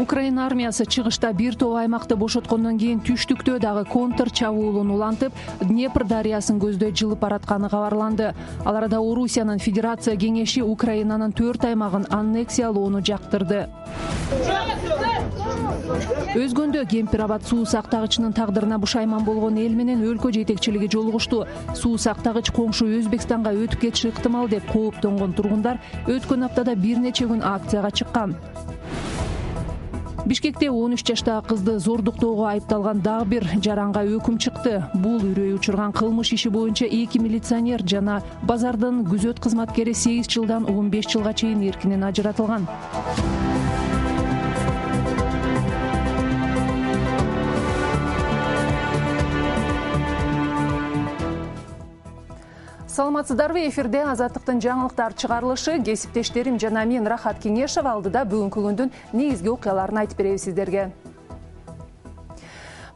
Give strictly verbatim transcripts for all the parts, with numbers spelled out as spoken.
Украина армиясы чыгышта бир топ аймакты бошоткондон кийин түштүктө дагы контр чабуулун улантып, Днепр дарыясын көздөй жылып баратканы кабарланды. Ал арада Орусиянын Федерация кеңеши Украинанын төрт аймагын аннексиялоону жактырды. Өзгөндө Кемпир-Абад суу сактагычынын тагдырына бушайман болгон эл менен өлкө жетекчилиги жолугушту. Суу сактагыч коңшу Өзбекстанга өтүп кетиши ыктымал деп кооптонгон тургундар өткөн аптада бир нече күн акцияга чыккан. Бишкекте он үч жаштагы кызды зордуктоого айыпталган дагы бир жаранга өкүм чыкты. Бул үрөй учурган кылмыш иши боюнча эки милиционер жана базардын күзөт кызматкери сегиз жылдан он беш жылга чейин эркинен ажыратылган. Саламатсыздарбы, эфирде Азаттыктын жаңылыктар чыгарылышы. Кесиптештерим жана мен Рахат Кеңешов алдыда бүгүнкү күндүн негизги окуяларын айтып беребиз сиздерге.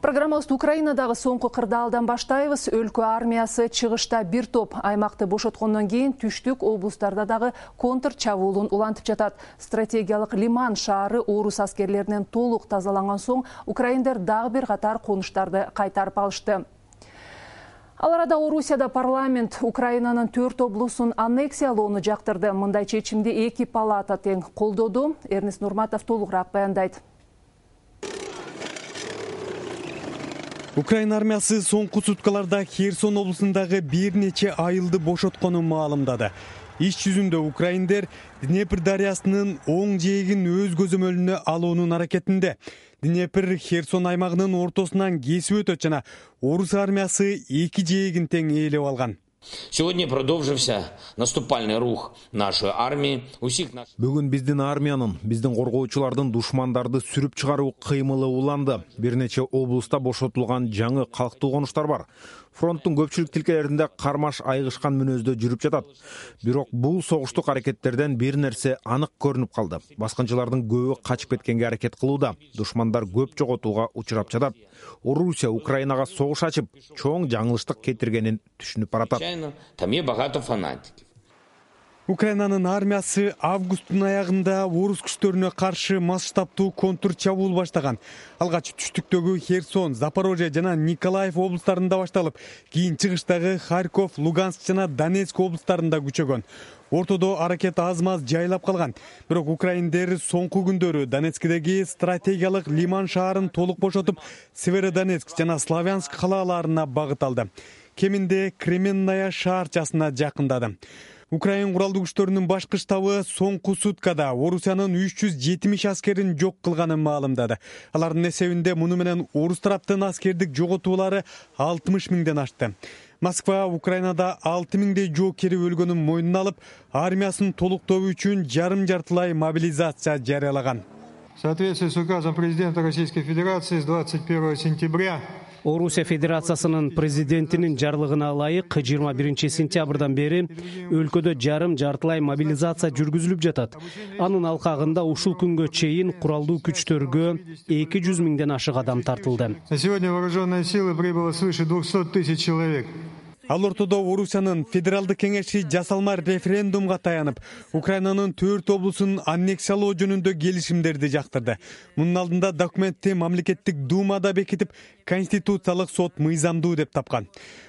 Программабызды Украинадагы соңку кырдаалдан баштайбыз. Өлкө армиясы чыгышта бир топ аймакты бошоткондон кийин түштүк облустарда дагы контр чабуулун улантып жатат. Стратегиялык Лиман шаары орус аскерлеринен толук тазаланган соң украиндер дагы бир катар конуштарды кайтарып алышты. Ал арада Орусияда парламент Украинанын төрт облусун аннексиялоону жактырды. Мындай чечимди эки палата тең колдоду. Эрнест Нурматов толугураак баяндайт. Украина армиясы соңку суткаларда Херсон облусундагы бир нече айылды бошотконун маалымдады. Иш жүзүндө украиндер Днепр дарыясынын оң жээгин өз көзөмөлүнө алуунун аракетинде. Днепр Херсон аймагынын ортосунан кесип өтөт жана орус армиясы эки жээгин тең ээлеп алган. Сегодня продолжился наступальный рух нашей армии. Бүгүн биздин армиянын, биздин коргоочулардын душмандарды сүрүп чыгаруу кыймылы уланды. Бир нече облуста бошотулган жаңы калктуу конуштар бар. Фронттун көпчүлүк тилкелеринде кармаш айгышкан мүнөздө жүрүп жатат. Бирок бул согуштук аракеттерден бир нерсе анык көрүнүп калды. Баскынчылардын көбү качып кеткенге аракет кылууда. Душмандар көп жоготууга учурап жатат. Орусия Украинага согуш ачып, чоң жаңылыштык кетиргенин түшүнүп баратат. Там есть багато фанатиков. Украинанын армиясы августтун аягында орус күчтөрүнө каршы масштабтуу контр чабуул баштаган. Алгач түштүктөгү Херсон, Запорожье жана Николаев облустарында башталып, кийин чыгыштагы Харьков, Луганск жана Донецк облустарында күчөгөн. Ортодо аракет аз-маз жайлап калган. Бирок украиндер соңку күндөрү Донецкдеги стратегиялык Лиман шаарын толук бошотуп, Северодонецк жана Славянск калааларына багыт алды. Кеминде Кременная шаарчасына жакындады. Украин куралдуу күчтөрүнүн башкы штабы соңку суткада Орусиянын үч жүз жетимиш аскерин жок кылганын маалымдады. Алардын эсебинде муну менен орус тараптын аскердик жоготуулары алтымыш миңден ашты. Москва Украинада алты миңдей жоокери өлгөнүн мойнуна алып, армиясын толуктоо үчүн жарым-жартылай мобилизация жарыялаган. В соответствии с указом президента Российской Федерации с двадцать первого сентября Орусия Федерациясынын президентинин жарлыгына ылайык жыйырма биринчи сентябрдан бери өлкөдө жарым-жартылай мобилизация жүргүзүлүп жатат. Анын алкагында ушул күнгө чейин куралдуу күчтөргө эки жүз миңден ашык адам тартылды. На сегодня вооруженные силы прибыло свыше двухсот тысяч человек. Ал ортодо Орусиянын федералдык кеңеши жасалма референдумга таянып, Украинанын төрт облусун аннексиялоо жөнүндө келишимдерди жактырды. Мунун алдында документти мамлекеттик думада бекитип, конституциялык сот мыйзамдуу деп тапкан.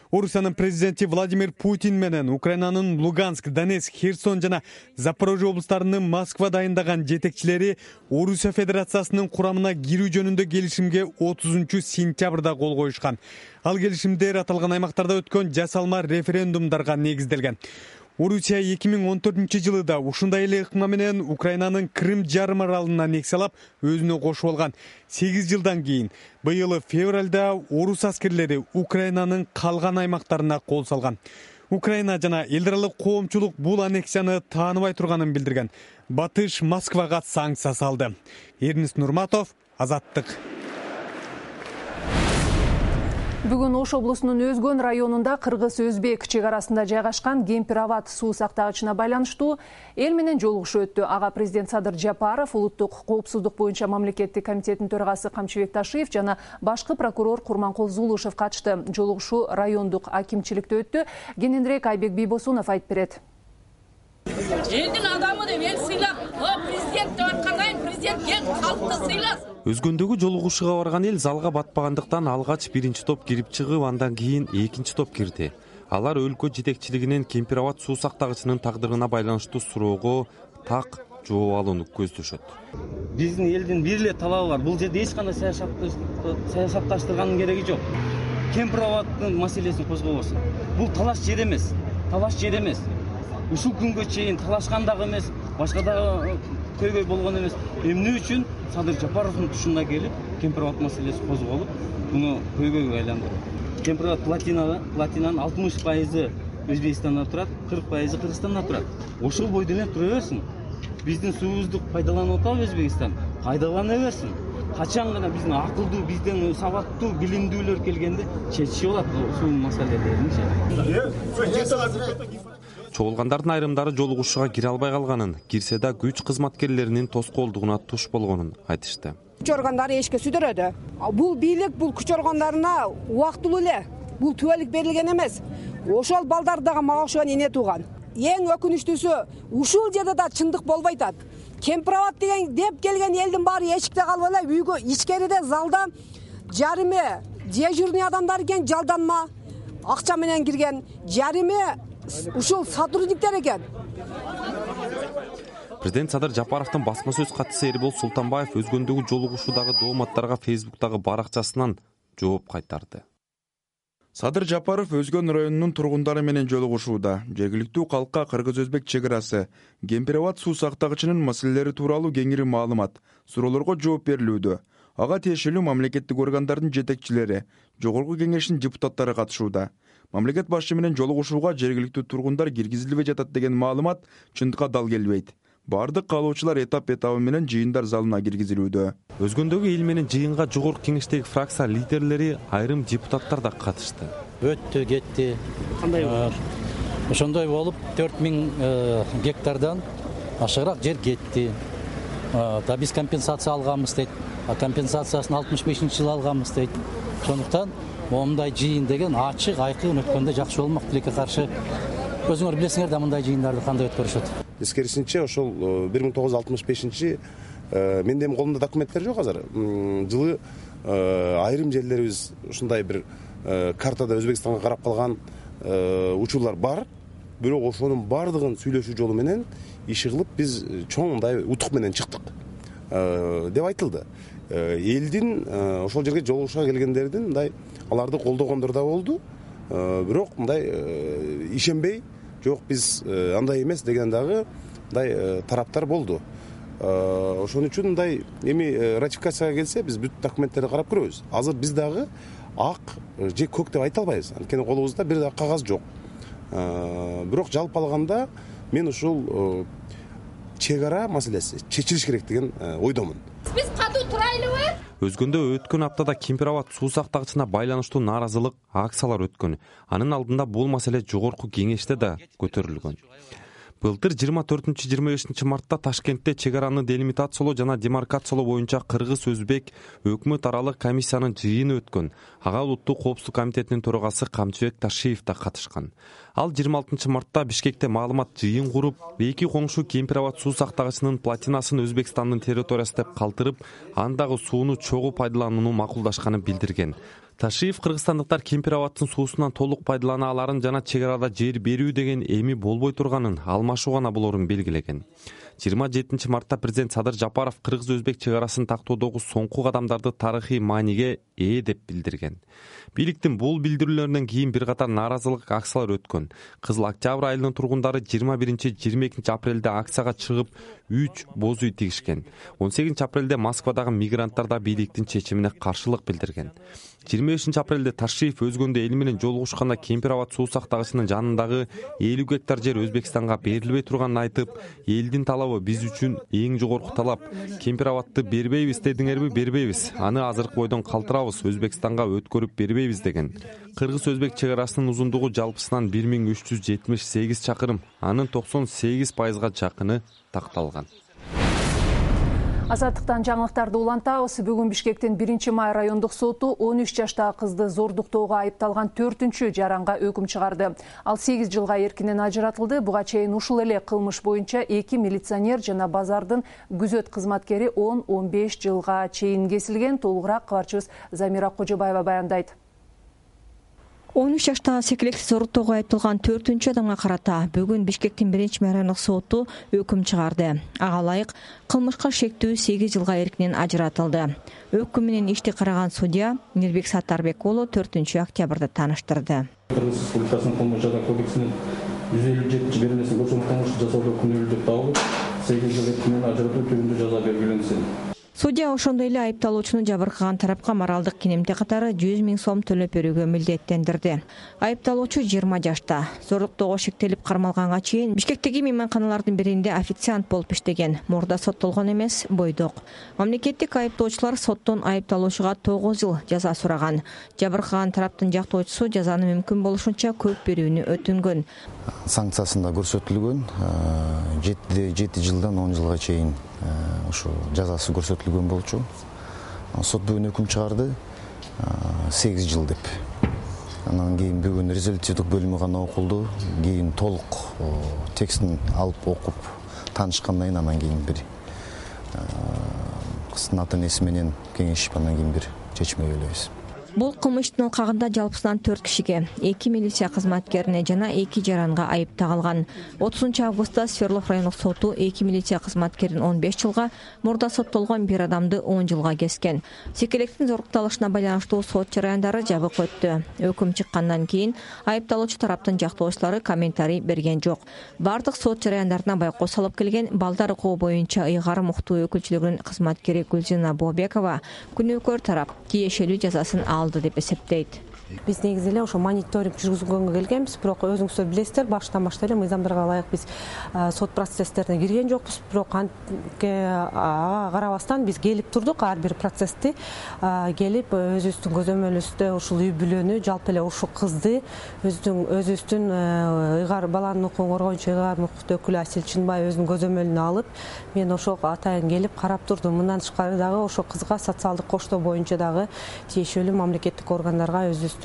Орусиянын президенти Владимир Путин менен Украинанын Луганск, Донецк, Херсон жана Запорожье облустарынын Москва дайындаган жетекчилери Орусия Федерациясынын курамына кирүү жөнүндө келишимге отузунчу сентябрда кол коюшкан. Ал келишимдер аталган аймактарда өткөн жасалма референдумдарга негизделген. Орусия эки миң он төртүнчү жылы да ушундай эле ыкма менен Украинанын Крым жарым аралын аннексиялап, өзүнө кошуп алган. сегиз жылдан кийин быйыл февралда орус аскерлери Украинанын калган аймактарына кол салган. Украина жана эл аралык коомчулук бул аннексияны тааныбай турганын билдирген. Батыш Москвага санкция салды. Эрнест Нурматов, Азаттык. Бүгүн Ош облусунун Өзгөн районунда кыргыз-өзбек чек арасында жайгашкан Кемпир-Абад суу сактагычына байланыштуу эл менен жолугушуу өттү. Ага президент Садыр Жапаров, улуттук коопсуздук боюнча мамлекеттик комитеттин төрагасы Камчыбек Ташиев жана башкы прокурор Курманкул Зулушев катышты. Жолугушуу райондук акимчиликте өттү. Кененирээк Айбек Бийбосунов айтып берет. Элдин адамы деп эл сыйлап, президент деп аткандайын президент президент ел халыкты сыйласын. Өзгөндөгү жолугушууга барган эл залга батпагандыктан алгач биринчи топ кирип чыгып, андан кийин экинчи топ кирди. Алар өлкө жетекчилигинен Кемпир-Абад суу сактагычынын тагдырына байланыштуу суроого так жооп алууну көздөшөт. Биздин элдин бир эле талабы бар. Бул жерде эч кандай саясатташтырганын кереги жок. Кемпир-Абаддын маселесин козгобосун. Бул талаш жер эмес. Талаш жер эмес. Ушул күнгө чейин талашкан дагы эмес, башка дагы көйгөй болгон эмес. Эмне үчүн Садыр Жапаровдун тушунда келип, Кемпир-Абад маселеси козголуп, буну көйгөйгө айландырды. Кемпир-Абад платинада, платинанын алтымыш пайызы Өзбекстанда турат, кырк пайызы Кыргызстанда турат. Ошол бойдон эле тура берсин. Биздин суубузду пайдаланып атабы Өзбекстан? Пайдалана берсин. Качан гана биздин акылдуу, биздин сабаттуу, билимдүүлөр келгенде чечишип алат ушул маселелерин. Чогулгандардын айрымдары жолугушууга кире албай калганын, кирсе да күч кызматкерлеринин тоскоолдугуна туш болгонун айтышты. Күч органдары эшикке сүдөрөдү. Бул бийлик бул күч органдарына убактылуу эле. Бул түбөлүк берилген эмес. Ошол балдар дагы мага окшогон эне тууган. Эң өкүнүчтүүсү, ушул жерде да чындык болбой атат. Кемпир-Абад деген деп келген элдин баары эшикте калып эле, үйгө ичкериде залда жарыме дежурный адамдар экен, жалданма акча менен кирген. Жарыме ушул сотрудниктер экен. Президент Садыр Жапаровдун басма сөз катчысы Эрбол Султанбаев өзгөндөгү жолугушуудагы дооматтарга Фейсбуктагы баракчасынан жооп кайтарды. Садыр Жапаров Өзгөн районунун тургундары менен жолугушууда. Жергиликтүү калкка кыргыз-өзбек чек арасы, Кемпир-Абад суу сактагычынын маселелери тууралуу кеңири маалымат, суроолорго жооп берилүүдө. Ага тиешелүү мамлекеттик органдардын жетекчилери, Жогорку кеңештин депутаттары катышууда. Мамлекет башчы менен жолугушууга жергиликтүү тургундар киргизилбей жатат деген маалымат чындыкка дал келбейт. Бардык каалоочулар этап-этабы менен жыйындар залына киргизилүүдө. Өзгөндөгү эл менен жыйынга Жогорку кеңештеги фракция лидерлери, айрым депутаттар да катышты. Өттү, кетти. Кандай болду? Ошондой болуп төрт миң гектардан ашыгыраак жер кетти. Да биз компенсация алганбыз дейт. А компенсациясын алтымыш бешинчи жылы алганбыз дейт. Ошондуктан момундай жыйын деген ачык, айкын өткөндө жакшы болмок. Тилекке каршы өзүңөр билесиңер да мындай жыйындарды кандай өткөрүшөт. Эскерисинче ошол бир миң тогуз жүз алтымыш бешинчи менде эми колумда документтер жок азыр. Жылы айрым жерлерибиз ушундай бир картада Өзбекстанга карап калган учурлар бар. Бирок ошонун бардыгын сүйлөшүү жолу менен иши кылып биз чоң мындай утук менен чыктык деп айтылды. Элдин ошол жерге жолугушууга келгендердин мындай аларды колдогондор да болду. Бирок мындай ишенбей, жок биз андай эмес деген дагы мындай тараптар болду. Ошон үчүн мындай эми ратификацияга келсе биз бүт документтерди карап көрөбүз. Азыр биз дагы ак же көк деп айта албайбыз. Анткени колубузда бир да кагаз жок. Бирок жалпы алганда мен ушул чек ара маселеси чечилиш керек деген ойдомун. Биз катуу турайлыбы? Өзгөндө өткөн аптада Кемпир-Абад суу сактагычына байланыштуу нааразылык акциялар өткөн. Анын алдында бул маселе Жогорку кеңеште да көтөрүлгөн. Былтыр жыйырма төртүнчү жыйырма бешинчи мартта Ташкентте чек араны делимитациялоо жана демаркациялоо боюнча Кыргыз-Өзбек өкмөт аралык комиссиянын жыйыны өткөн. Ага Улуттуу коопсуздук комитетинин төрагасы Камчыбек Ташиев да катышкан. Ал жыйырма алтынчы мартта Бишкекте маалымат жыйын куруп, эки коңшу Кемпир-Абад суу сактагычынын платинасын Өзбекстандын территориясы деп калтырып, андагы сууну чогуу пайдаланууну макулдашканын билдирген. Ташиев кыргызстандыктар Кемпир-Абаддын суусунан толук пайдалана аларын жана чек арада жер берүү деген эми болбой турганын, алмашуу гана болорун белгилеген. жыйырма жетинчи мартта президент Садыр Жапаров кыргыз-өзбек чек арасын тактоодогу соңку кадамдарды тарыхый мааниге ээ деп билдирген. Бийликтин бул билдирүүлөрүнөн кийин бир катар нааразылык акциялар өткөн. Кызыл Октябрь айылынын тургундары жыйырма биринчи жыйырма экинчи апрелде акцияга чыгып, үч боз үй тигишкен. он сегизинчи апрелде Москвадагы мигранттар да бийликтин чечимине каршылык билдирген. жыйырма бешинчи апрелде Ташиев өзгөндө эл менен жолугушканда Кемпир-Абад суу сактагычынын жанындагы элүү гектар жер Өзбекстанга берилбей турганын айтып, элдин талабы биз үчүн эң жогорку талап. Кемпир-Абадты бербейбиз дедиңерби, бербейбиз. Аны азыркы бойдон калтырабыз, Өзбекстанга өткөрүп бербейбиз деген. Кыргыз-өзбек чек арасынын узундугу жалпысынан бир миң үч жүз жетимиш сегиз чакырым, анын токсон сегиз пайызга жакыны такталган. Азаттыктан жаңылыктарды улантабыз. Бүгүн Бишкектин биринчи май райондук соту он үч жаштагы кызды зордуктоого айыпталган төртүнчү жаранга өкүм чыгарды. Ал сегиз жылга эркинен ажыратылды. Буга чейин ушул эле кылмыш боюнча эки милиционер жана базардын күзөт кызматкери он он беш жылга чейин кесилген. Толугураак кабарчыбыз Замира Кожобаева баяндайт. он үч жаштагы секелекти зордуктоого айыпталган төртүнчү адамга карата бүгүн Бишкектин биринчи май райондук соту өкүм чыгарды. Ага ылайык кылмышка шектүү сегиз жылга эркинен ажыратылды. Өкүм менен ишти караган судья Мирбек Саттарбек уулу төртүнчү октябрда тааныштырды. Кыргыз Республикасынын кылмыш жана кодексинин жүз элүү жетинчи беренесин көчөрмө кылмышты жасоодо күнөөлүү деп табылып, сегиз жыл эркинен ажыратуу түрүндө жаза белгиленсин. Судья ошондой эле айыпталуучуну жабыркаган тарапка моралдык кинемте катары жүз миң сом төлөп берүүгө милдеттендирди. Айыпталуучу жыйырма жашта. Зордуктоого шектелип кармалганга чейин Бишкектеги мейманканалардын биринде официант болуп иштеген. Мурда соттолгон эмес, бойдок. Мамлекеттик айыптоочулар соттон айыпталуучуга тогуз жыл жаза сураган. Жабыркаган тараптын жактоочусу жазаны мүмкүн болушунча көп берүүнү өтүнгөн. Санкциясында көрсөтүлгөн жети жылдан он жылга чейин ошо жазасы көрсөтүлгөн болчу. Сот бүгүн өкүм чыгарды сегиз жыл деп. Анан кийин бүгүн резолютивдик бөлүмү гана окулду. Кийин толук текстин алып окуп таанышкандан кийин анан кийин бир кыздын ата энеси менен кеңешип анан кийин бир чечим белгилейбиз. Бул кылмыштын алкагында жалпысынан төрт кишиге, эки милиция кызматкерине жана эки жаранга айып тагылган. отузунчу августта Свердлов райондук соту эки милиция кызматкерин он беш жылга, мурда соттолгон бир адамды он жылга кескен. Секелектин зордукталышына байланыштуу сот жараяндары жабык өттү. Өкүм чыккандан кийин айыпталуучу тараптын жактоочулары комментарий берген жок. Бардык сот жараяндарына байкоо салып келген балдар укугу боюнча ыйгарым укуктуу өкүлчүлүгүнүн кызматкери Гүлжина Бообекова күнөөкөр тарап тиешелүү жазасын алды деп эсептейт. Биз негизи эле ошо мониторинг жүргүзгөнгө келгенбиз, бирок өзүңүздөр билесиздер, баштан баштап эле мыйзамдарга ылайык биз сот процесстерине кирген жокпуз, бирок ага карабастан биз келип турдук, ар бир процессти келип өзүбүздүн көзөмөлүбүздө ушул үй бүлөнү, жалпы эле ушул кызды өзүнүн өзүбүздүн ыйгар баланын укугун коргоочу ыйгарым укуктуу өкүлү Асил Чынбай өзүнүн көзөмөлүнө алып, мен ошол атайын келип карап турдум. Мындан тышкары дагы ошол кызга социалдык коштоо боюнча дагы тиешелүү мамлекеттик органдарга өзүбүз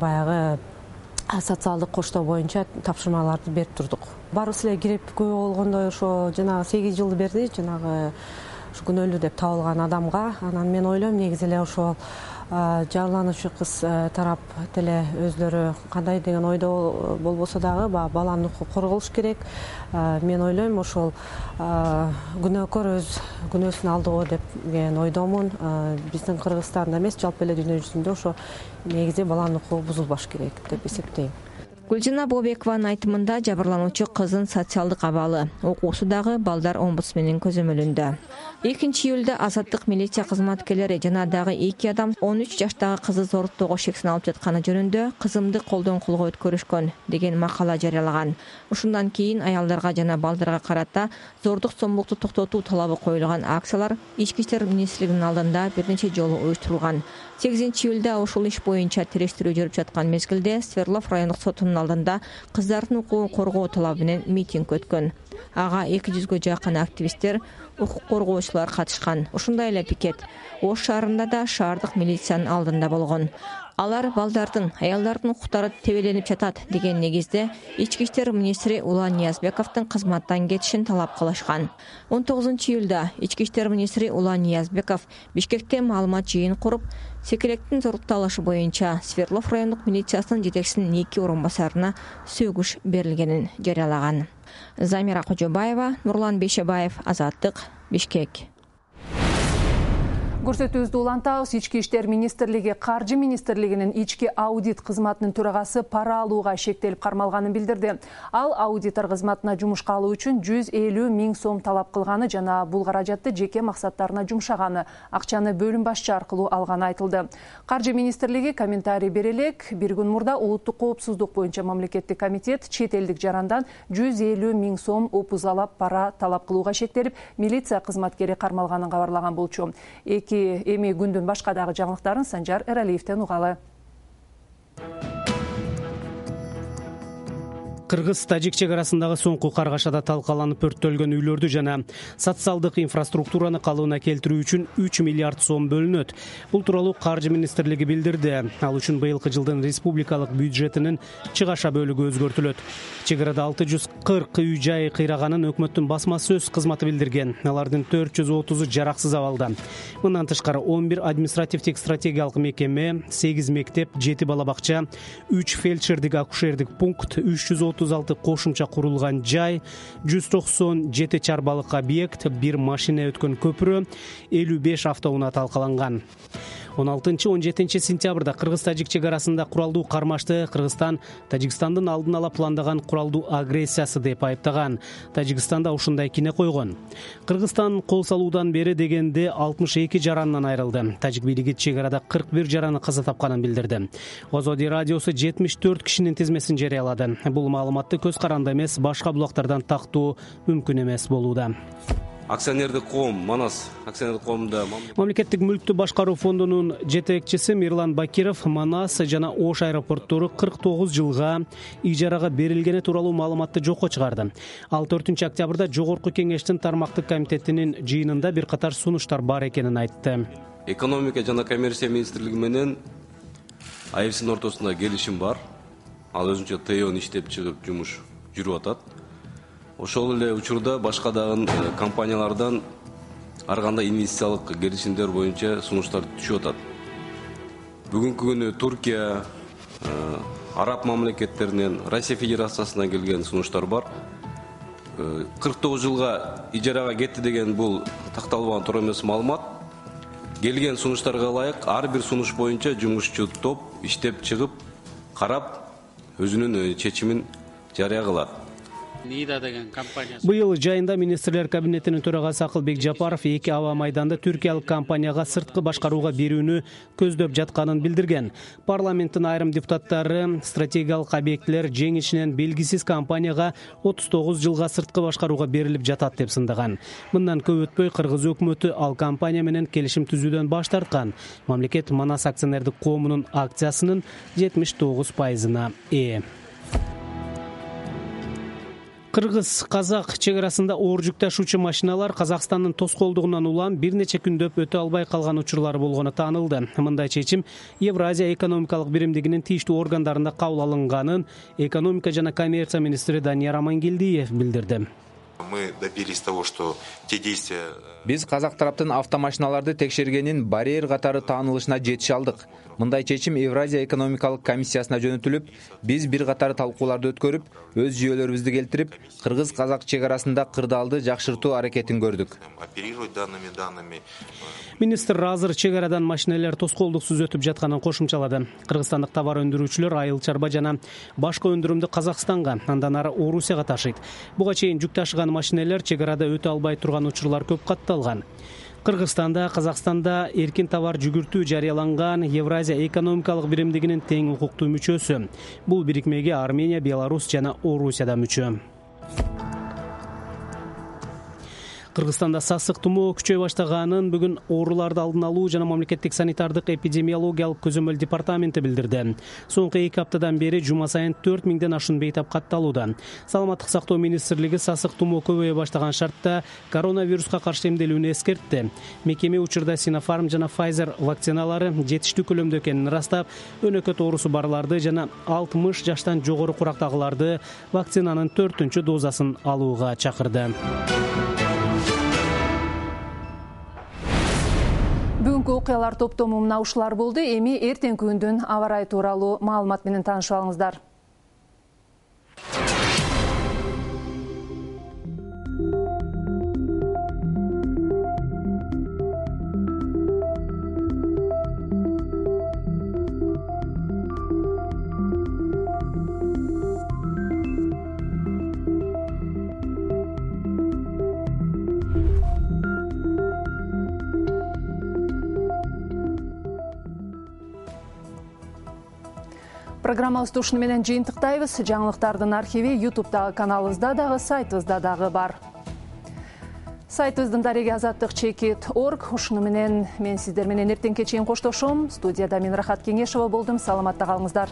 баягы социалдык коштоо боюнча тапшырмаларды берип турдук. Баарыбыз эле кирип күбө болгондой ошо жанагы сегиз жылды берди, жанагы күнөөлүү деп табылган адамга. Анан мен ойлойм негизи эле ошол жабырлануучу кыз тарап деле өзлөрү кандай деген ойдо болбосо дагы баланын укугу корголуш керек. Мен ойлойм ошол күнөөкөр өз күнөөсүн алды го деген ойдомун. Биздин Кыргызстанда эмес, жалпы эле дүйнө жүзүндө ошо негизи баланын укугу бузулбаш керек деп эсептейм. Гүлжина Бообекованын айтымында жабырлануучу кыздын социалдык абалы, окуусу дагы балдар омбудсменинин көзөмөлүндө. экинчи июлда Азаттык милиция кызматкерлери жана дагы эки адам он үч жаштагы кызды зордуктоого шексин алып жатканы жөнүндө кызымды колдон колго өткөрүшкөн деген макала жарыялаган. Ушундан кийин аялдарга жана балдарга карата зордук зомбулукту токтотуу талабы коюлган акциялар Ички иштер министрлигинин алдында бир нече жолу уюштурулган. сегизинчи июлда ушул иш боюнча териштирүү жүрүп жаткан мезгилде Свердлов райондук сотунун алдында кыздардын укугун коргоо талабы менен митинг өткөн. Ага эки жүзгө жакын активисттер, укук коргоочулар катышкан. Ошондой эле пикет Ош шаарында да шаардык милициянын алдында болгон. Алар балдардын, аялдардын укуктары тебеленип жатат деген негизде Ички иштер министри Улан Ниязбековдун кызматтан кетишин талап кылышкан. он тогузунчу июлда Ички иштер министри Улан Ниязбеков Бишкекте маалымат жыйын куруп, секелектин зордукталышы боюнча Свердлов райондук милициясынын жетекчисинин эки орун басарына сөгүш берилгенин жарыялаган. Замира Кожобаева, Нурлан Бейшебаев, Азаттык, Бишкек. Көрсөтүүбүздү улантабыз. Ички иштер министрлиги Каржы министрлигинин ички аудит кызматынын төрагасы пара алууга шектелип кармалганын билдирди. Ал аудитор кызматына жумушка алуу үчүн жүз элүү миң сом талап кылганы жана бул каражатты жеке максаттарына жумшаганы, акчаны бөлүм башчы аркылуу алганы айтылды. Каржы министрлиги комментарий бере элек, бир күн мурда улуттук коопсуздук боюнча мамлекеттик комитет чет элдик жарандан жүз элүү миң сом опузалап пара талап кылууга шектелип, милиция кызматкери кармалганын кабарлаган болчу. Эки эми күндүн башка дагы жаңылыктарын Санжар Эралиевден угалы. Кыргыз-Тажик чек арасындагы соңку каргашада талкаланып өрттөлгөн үйлөрдү жана социалдык инфраструктураны калыбына келтирүү үчүн үч миллиард сом бөлүнөт. Бул тууралуу Каржы министрлиги билдирди. Ал үчүн быйылкы жылдын республикалык бюджетинин чыгаша бөлүгү өзгөртүлөт. Чек арада алты жүз кырк үй жай кыйраганын өкмөттүн басма сөз кызматы билдирген. Алардын төрт жүз отузу жараксыз абалда. Мындан тышкары он бир административдик стратегиялык мекеме, сегиз мектеп, жети бала бакча, үч фельдшердик акушердик пункт, үч жүз отуз алты кошумча курулган жай, жүз токсон жети чарбалык объект, бир машина өткөн көпүрө, элүү беш автоунаа талкаланган. он алтынчы он жетинчи сентябрда Кыргыз-Тажик чек арасында куралдуу кармашты Кыргызстан Тажикстандын алдын ала пландаган куралдуу агрессиясы деп айыптаган. Тажикстанда ушундай кине койгон. Кыргызстан кол салуудан бери дегенде алтымыш эки жарандан айрылды. Тажик бийлиги чек арада кырк бир жараны каза тапканын билдирди. Озоди радиосу жетимиш төрт кишинин тизмесин жарыялады. Бул маалыматты көз каранды эмес, башка булактардан тактоо мүмкүн эмес болууда. Акционердик коом Манас акционердик коомунда Мамлекеттик мүлктү башкаруу фондунун жетекчиси Мирлан Бакиров Манас жана Ош аэропорттору кырк тогуз жылга ижарага берилгени тууралуу маалыматты жокко чыгарды. Ал төртүнчү октябрда Жогорку кеңештин тармактык комитетинин жыйынында бир катар сунуштар бар экенин айтты. Экономика жана коммерция министрлиги менен А F S'нин ортосунда келишим бар. Ал өзүнчө Т O'ну иштеп чыгып жумуш жүрүп атат. Ошол эле учурда башка дагы компаниялардан ар кандай инвестициялык келишимдер боюнча сунуштар түшүп атат. Бүгүнкү күнү Туркия, араб мамлекеттеринен, Россия Федерациясынан келген сунуштар бар. кырк тогуз жылга ижарага кетти деген бул такталбаган туура эмес маалымат. Келген сунуштарга ылайык ар бир сунуш боюнча жумушчу топ иштеп чыгып, карап, өзүнүн чечимин жарыя кылат. Быйыл жайында министрлер кабинетинин төрагасы Акылбек Жапаров эки аба майданды түркиялык компанияга сырткы башкарууга берүүнү көздөп жатканын билдирген. Парламенттин айрым депутаттары стратегиялык объектилер жеңишинен белгисиз компанияга отуз тогуз жылга сырткы башкарууга берилип жатат деп сындаган. Мындан көп өтпөй Кыргыз өкмөтү ал компания менен келишим түзүүдөн баш тарткан. Мамлекет Манас акционердик коомунун акциясынын жетимиш тогуз пайызына ээ. Кыргыз-казак чек арасында оор жүк ташуучу машиналар Казакстандын тоскоолдугунан улам бир нече күндөп өтө албай калган учурлар болгону таанылды. Мындай чечим Евразия экономикалык биримдигинин тийиштүү органдарында кабыл алынганын экономика жана коммерция министри Данияр Амангелдиев билдирди. Мы добились того, что те действия... Биз казак тараптын автомашиналарды текшергенин барьер катары таанылышына жетише алдык. Мындай чечим Евразия экономикалык комиссиясына жөнөтүлүп, биз бир катар талкууларды өткөрүп, өз жүйөлөрүбүздү келтирип, кыргыз-казак чек арасында кырдаалды жакшыртуу аракетин көрдүк. Оперировать данными данными. Министр азыр чек арадан машинелер тоскоолдуксуз өтүп жатканын кошумчалады. Кыргызстандык товар өндүрүүчүлөр айыл чарба жана башка өндүрүмдү Казакстанга, андан ары Орусияга ташыйт. Буга чейин жүк ташыган машинелер чек арада өтө албай турган учурлар көп катталган. Кыргызстанда, Казакстанда эркин товар жүгүртүү жарыяланган Евразия экономикалык биримдигинин тең укуктуу мүчөсү. Бул бирикмеге Армения, Беларусь жана Орусия да мүчө. Кыргызстанда сасык тумоо күчөй баштаганын бүгүн ооруларды алдын алуу жана мамлекеттик санитардык эпидемиологиялык көзөмөл департаменти билдирди. Соңку эки аптадан бери жума сайын төрт миңден ашуун бейтап катталууда. Саламаттык сактоо министрлиги сасык тумоо көбөйө баштаган шартта коронавируска каршы эмделүүнү эскертти. Мекеме учурда Sinopharm жана Pfizer вакциналары жетиштүү көлөмдө экенин ырастап, өнөкөт оорусу барларды жана алтымыш жаштан жогору курактагыларды вакцинанын төртүнчү дозасын алууга чакырды. Бүгүнкү окуялар топтому мына ушулар болду. Эми эртеңки күндүн аба ырайы тууралуу маалымат менен таанышып алыңыздар. Программабызды ушуну менен жыйынтыктайбыз. Жаңылыктардын архиви ютубтагы каналыбызда дагы, сайтыбызда дагы бар. Сайтыбыздын дареги азаттык чекит точка орг. Ушуну менен мен сиздер менен эртеңке чейин коштошом. Студияда мен Рахат Кеңешова болдум. Саламатта калыңыздар.